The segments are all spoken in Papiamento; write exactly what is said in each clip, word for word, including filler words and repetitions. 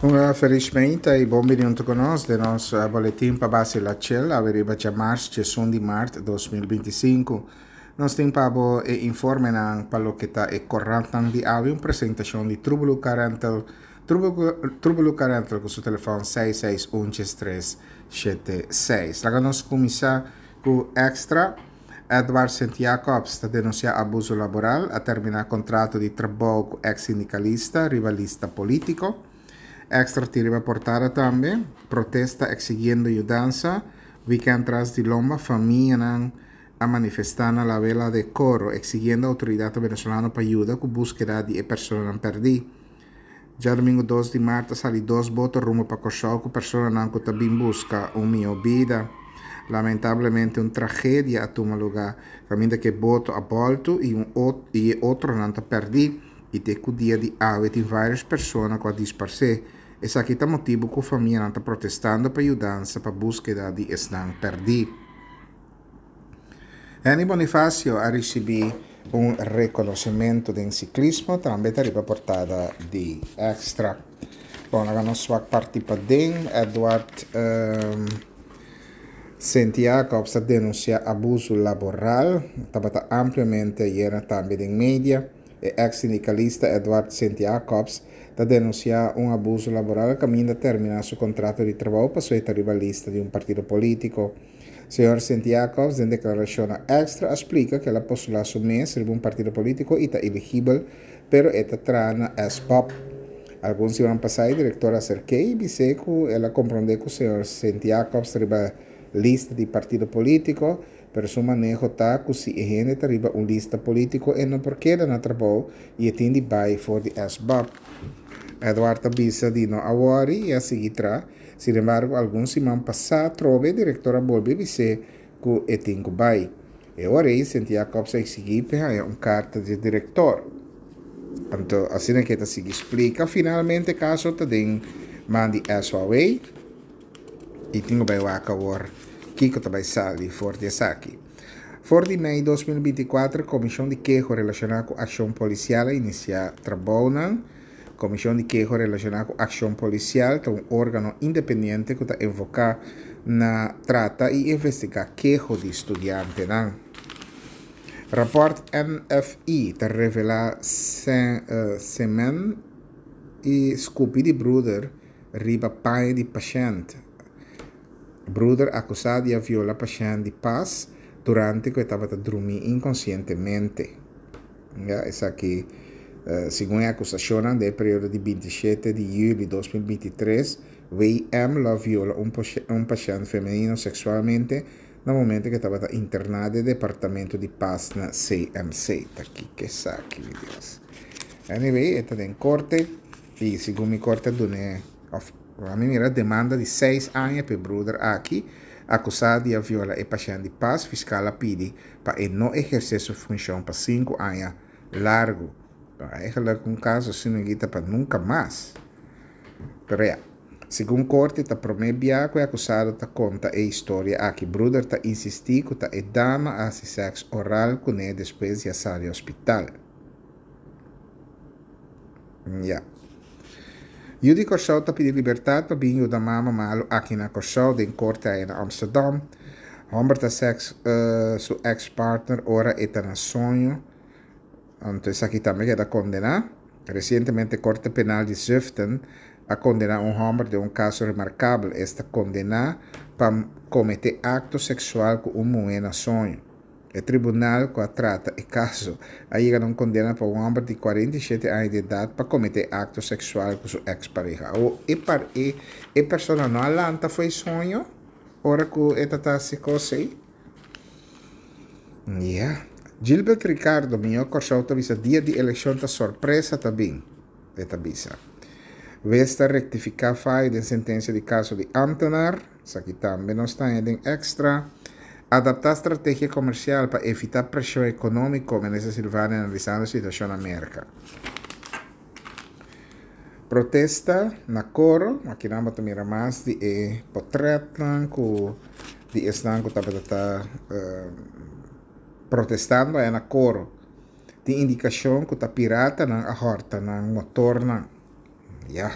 Un felismente i bon bini huntu ku nos den nos boletin pa base la Chel, awe riba djamars diesun di mart dos mil binti sinku. Nos tin pa bo e informenan pa loke ta e korantnan di awe, un presentashon di Trubelu Car Rental, Trubelu Car Rental ku su telefòn seis seis un djes tres shete seis. Laga nos kuminsá ku Extra. Edward Sint Jacobs ta denunsiá abuso laboral, a terminá kontrato di trabou ku eks sindikalista riba lista polítiko. Extra tin riba portada tambe, protesta eksigiendo yudansa, wikènt tras di lomba famianan a manifestá na La Vela de Coro eksigiendo outoridatnan venezolano pa yuda ku búskeda di e personanan pèrdí. Djadumingu dos di mart a sali dos boto rumbo pa Kòrsou ku personanan ku ta bin buska un mihó bida. Lamentablemente un tragedia a tuma lugá kaminda ku e boto a bòltu i un i e otronan ta pèrdí i te ku dia di awe tin vários persona ku a disparsé. Esaki ta motibu ku famianan ta protestando pa yudansa pa búskeda di esnan pèrdí. Henny Bonifacio a risibí un rekonosementu den siklismo, tambe ta riba portada di Extra. Bon, laga nos wak parti paden. Edward Sint Jacobs ta denunsiá abuso laboral, tabata ampliamente ayera tambe den media. E eks sindikalista Edward Sint Jacobs ta denunsiá un abuso laboral kaminda terminá su kontrato di trabou pasobra e ta riba lista di un partido polítiko. Señor Sint Jacobs den deklarashon na Extra a splika ku el a postulá su mes riba un partido polítiko i ta eligibel, pero e ta traha na S B O B. Algun siman pasá e direktor a aserk'é i bis'é ku el a komprondé ku señor Sint Jacobs ta riba lista di partido polítiko, pero su maneho ta ku si e hende ta riba un lista polítiko e no por keda na trabou i e tin di bai for di S B O B. Edward ta bisa di no a wòri i a sigui traha. Sin embargo, algun siman pasá atrobe e direktor a bolbe bis'é ku e tin ku bai. E ora ei Sint Jacobs a eksigí p'e haña un karta di e direktor. Anto asina ke e ta sigui splika, finalmente e kaso ta den man di S O W i tin ku bai wak awor kiko ta bai sali for di esaki. For di mei dos mil binti i kuater Komishon di Keho relashoná ku akshon polisial a inisiá trabounan. Komishon di Keho relashoná ku akshon polisial ta un órgano independiente ku ta enfoká na trata i investigá keho di studiantenan. Rapòrt N F I ta revelá semen i skupi di bruder riba paña di pashènt. Bruder akusá di a viola pashènt di pas durante ku e tabata drumí inkonsientemente. Ya, esaki segun e akusashonnan den e periodo di binti shete di yüli dos mil binti tres, W M lo a viola un un pashènt femenino seksualmente na momento ku e tabata interná den departamento di pas na C M C. Ta kiko esaki, mi Dios. Anyway, e ta den korte i segun mi korte a dun'é òf ami mira demanda di seis aña pa e bruder aki akusá di a viola e pashènt di pas. Fiskal a pidi pa e no ehersé su funshon pa sinku aña largu. Eigenlijk un kaso asina aki ta pa nunka mas. Pero ya, segun korte ta promé bia ku e akusado ta konta e historia aki. Bruder ta insistí ku ta e dama a hasi sèks oral kuné despues di a sali hospital. Ya. Yu di Kòrsou ta pidi libertat pa bin yuda mama malu aki na Kòrsou den korte aya na Amsterdam. Hòmber ta sèks su eks partner ora e ta na soño. Anto esaki tambe keda kondená. Resientemente Korte Penal di Zutphen a kondená un hòmber den un kaso remarkabel. Esta kondená pa kometé akto seksual ku un muhé na soño. E tribunal ku a trata e kaso a yega na un kondena pa un hòmber di kuarenta i shete aña di edat pa kometé akto seksual ku su eks pareha. Awor e par e e persona no a lanta fo'i soño ora ku e ta ta hasi kos ei? Ya. Gilbert Ricardo, Mihó Kòrsou ta bisa dia di elekshon ta sorpresa ta bin, e ta bisa. Wes ta rektifiká fayo den sentensia di kaso di ámtenar, esaki tambe nos ta haña den Extra. Adaptá strategia komersial pa evitá preshon ekonómiko, Minister Silvania analisando situashon na Merka. Protesta na Coro, akinan bo ta mira mas di e potrètnan ku di esnan ku tabata ta protestando aya na Coro. Tin indikashon ku ta piratanan a hòrta nan motornan. Ya.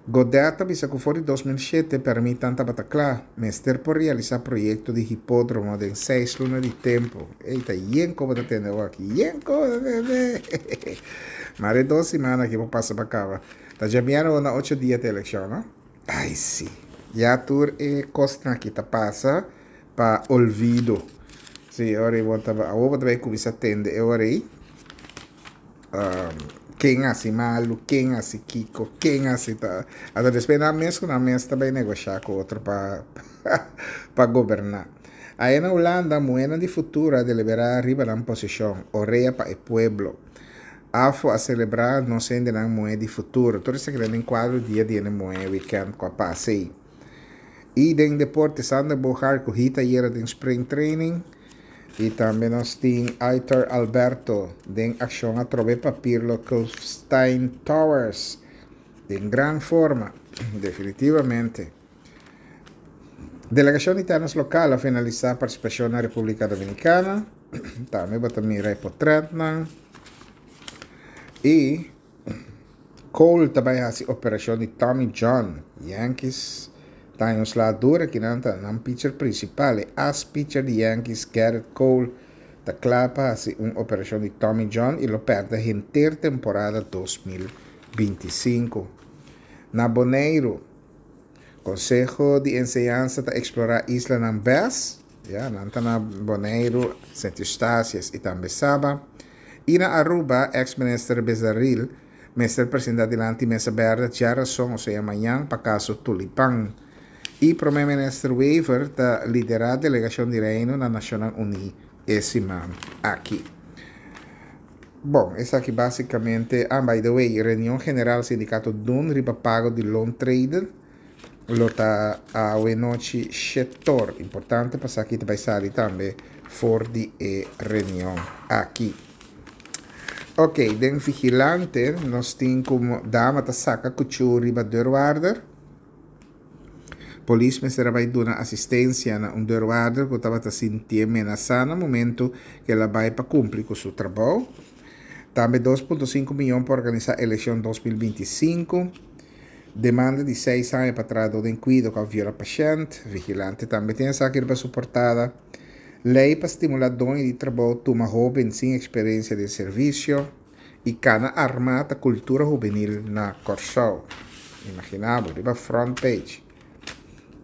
Godett ta bisa ku for di dos mil shete pèrmitnan tabata kla. Mester por realisá proyekto di hipódromo den seis luna di tempu. Ey, ta yen ku bo ta tende awor aki. Yen ku bo ta tende! Mara e dos siman aki por pasa pa kaba. Ta djabièrnè awor na ocho dia ta elekshon, no? Ay sí. Ya tur e kosnan aki ta pasa pa olvido. Sí, ora ei bo ta, awor bo ta bai kuminsá tende e ora ei. Ken hasi malu, ken hasi kiko, ken hasi ta. Anto despues nan mes ku nan mes ta bai negoshá ku otro pa pa goberná. Aya na Hulanda muhénan di futuro a deliberá riba nan posishon, orea pa e pueblo. AFO a selebrá nos hendenan muhé di futuro. Tur esaki ta den kuadro dia di hende muhé wikènt ku a pasa ei. I den deporte Sander Bogaert ku hit ayera den spring training. I tambe nos tin Aitor Alberto den akshon atrobe pa Pirlo Kulfstein Towers den gran forma, definitivamente. Delegashon di tènis lokal a finalisá partisipashon na Repúblika Dominikana. Tambe bo ta mira e potrètnan. I Cole ta bai hasi operashon di Tommy John. Yankees ta haña un sla dura kinan ta nan pitcher prinsipal. E as pitcher di Yankees Gerrit Cole ta kla pa hasi un operashon di Tommy John i lo pèrdè henter temporada dos mil binti i sinku. Na Boneiru, Konseho di Enseñansa ta eksplorá islanan bes. Ya, nan ta na Boneiru, Sint Eustatius i tambe Saba. I na Aruba, eks minister Besaril mester presenta dilanti mesa berde djarason, osea mañan, pa kaso Tulipan. I Prome Minister Wever ta lidera delegashon di Reino na Nashonnan Uní e siman aki. Bon, esaki basikamente, ah, by the way, reunion general sindikato Dun riba pago di loontreden lo ta awe nochi shetor. Importante pa sa ki ta bai sali tambe for di e reunion aki. Ok, den Vigilante nos tin ku dama ta saka kuchú riba deurwaarder. Polis mester a bai duna asistensia na un deurwaarder ku tabata sintié menasá na momento ku el a bai pa kumpli ku su trabou. Tambe dos punto sinku miyon pa organisá elekshon dos mil binti i sinku. Demanda di seis aña pa trahadó den kuido ku a viola pashènt. Vigilante tambe tin esaki riba su portada. Lei pa stimulá doño di trabou tuma hóben sin eksperensia den servisio. I kana armá ta kultura hubenil na Kòrsou. Imaginá bo, riba front page.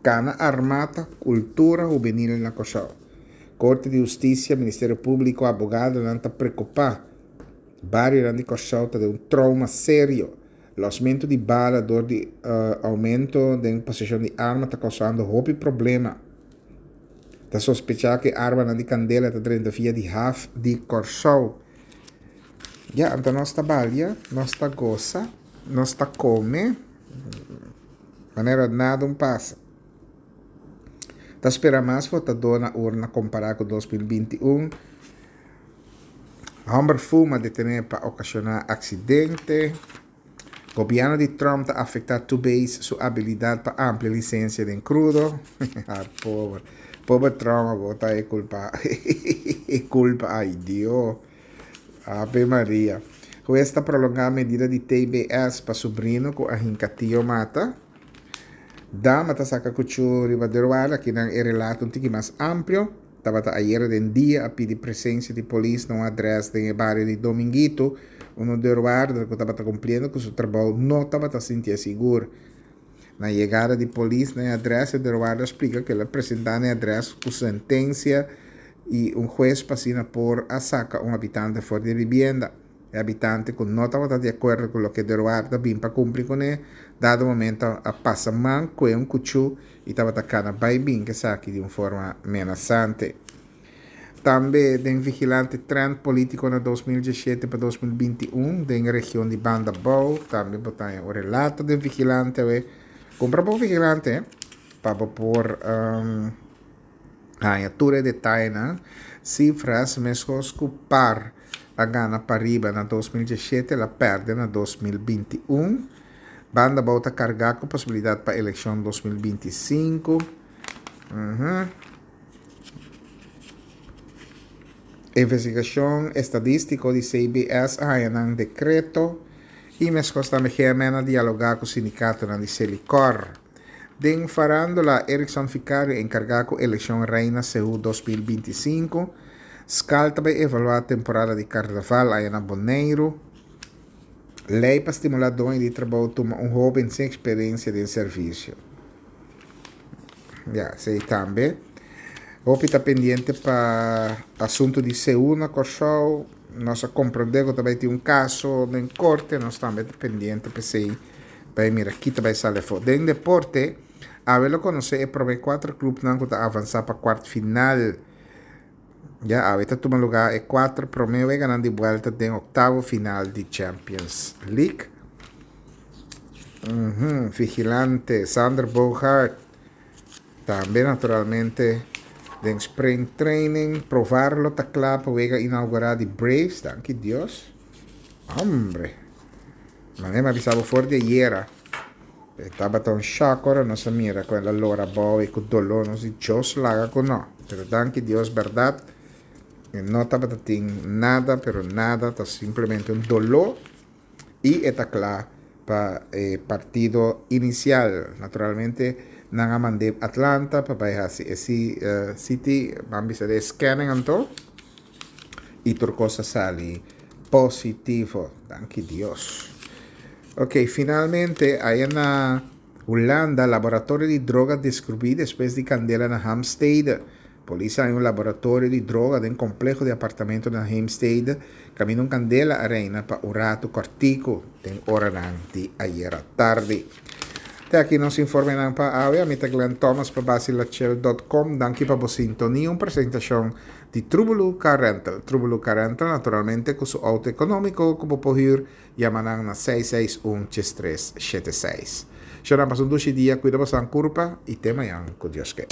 Kana armá ta kultura hubenil na Kòrsou. Korte di Hustisia, Ministerio Públiko, abogadonan ta preokupá. Barionan di Kòrsou ta den un trouma serio. Lòsmentu di bala dor di oumento den poseshon di arma ta kousando hopi problema. Ta sospechá ku e armanan di kandela ta drenta via di haf di Kòrsou. Ya, anto nos ta balia, nos ta gosa, nos ta kome, manera nada un pasa. Ta spera mas votadó na urna kompará ku dos mil binti un. Hòmber fuma detené pa okashoná aksidente. Gobièrnu di Trump ta afektá Tubeis su abilidat pa amplia lisensia den krudo. Pober, pober Trump a bota e kulpa, e kulpa, ay Dio. Ave Maria. Hues ta prolongá medida di T B S pa subrino ku a hinka tio mata. Dama ta saka kuchú riba deurwaarder, akinan e relato un tiki mas amplio. Tabata ayera den dia a pidi presensia di polis na un adrès den e bario di Dominguito. Uno deurwaarder ku tabata kumpliendo ku su trabou no tabata sintié sigur. Na yegada di polis na e adrès, e deurwaarder a splika ku el a presentá na e adrès ku sentensia i un hues pa asina por a saka un habitante for di e bibienda. E habitante ku no tabata di akuerdo ku loke deurwaarder a bin pa kumpli kuné, dado momento a pasa man ku e un kuchú i tabata kana bai bin ku esaki di un forma menasante. Tambe den Vigilante trend polítiko na dos mil diesshete pa dos mil binti un den region di Banda Bou, tambe bo ta haña un relato den Vigilante awe. Kumpra bo Vigilante pa bo por um, haña tur e detayenan. Sifras meskos ku par a gana pariba na dos mil diesshete, el a pèrdè na dos mil binti un. Banda Bou ta kargá ku posibilidat pa elekshon dos mil binti sinku. Uhum. Investigashon estadístiko di C B S a haña nan dekreto I meskos tambe G M N a dialogá ku sindikatonan di Selikor. Den farándula, Erickson Vicario enkargá ku elekshon Reina Seú dos mil binti sinku. Skal ta bai evaluá temporada di karnaval aya na Boneiru. Lei pa stimulá doño di trabou tuma un hóben sin eksperensia den servisio. Ya, esei tambe. Hopi ta pendiente pa asuntu di Seú na Kòrsou. Nos a komprondé ku ta bai tin un kaso den korte. Nos tambe ta pendiente p'esei bai mira ki ta bai sali afó. Den deporte, awe lo konosé e promé kuater klupnan ku ta avansá pa kuart final. Ya, awe ta tuma lugá e kuater promé weganan di buelta den oktavo final di Champions League. Uhum, vigilante, Xander Bogaerts. Tambe naturalmente den spring training. Profar lo ta kla pa wega inaugural di Braves. Danki Dios. Hombre. Manera mi a bisa bo for di ayera. Tabata un shock ora nos a mira ku el a lora abou i ku doló. Nos di Dios laga ku no. Pero danki Dios, bèrdat. E no tabata tin nada, pero nada. Ta simplemente un doló. I e ta kla pa e partido inisial. Naturalmente nan a mand'é Atlanta pa bai hasi e C T, ban bisa de scanning anto. I tur kos a sali positivo. Danki Dios. Ok, finalmente, aya na Hulanda, laboratorio di droga deskubrí despues di kandela na Heemstede. Polis a haña un laboratorio di droga den kompleho di apartamento na Heemstede, kaminda un kandela a reina pa un ratu kòrtiku den oranan di ayera tardi. Te aki nos informenan pa awe. Ami ta Glenn Thomas pa basilachel punto com. Danki pa bo sintonia. Un presentashon di Trubulu Car Rental. Trubulu Car Rental, naturalmente, ku su outo ekonómiko ku bo por hür, yama nan na seis seis un, tres tres shete seis. Shona, pasa un dushi dia, kuida bo kurpa i te mañan ku Dios ke.